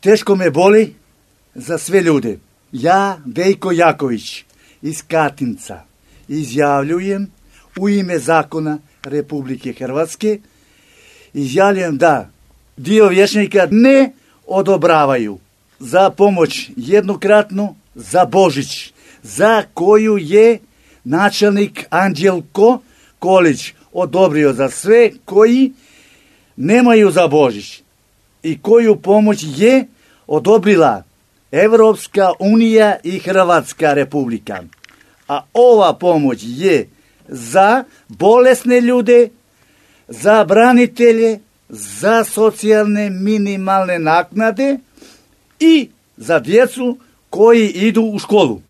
Teško me boli za sve ljude. Ja, Vejko Jaković, iz Katinca, izjavljujem u ime zakona Republike Hrvatske, izjavljujem da dio vijećnika ne odobravaju za pomoć jednokratnu za Božić, za koju je načelnik Anđelko Kolić odobrio za sve koji nemaju za Božić i koju pomoć je odobrila Evropska unija i Hrvatska republika. A ova pomoć je za bolesne ljude, za branitelje, za socijalne minimalne naknade i za djecu koji idu u školu.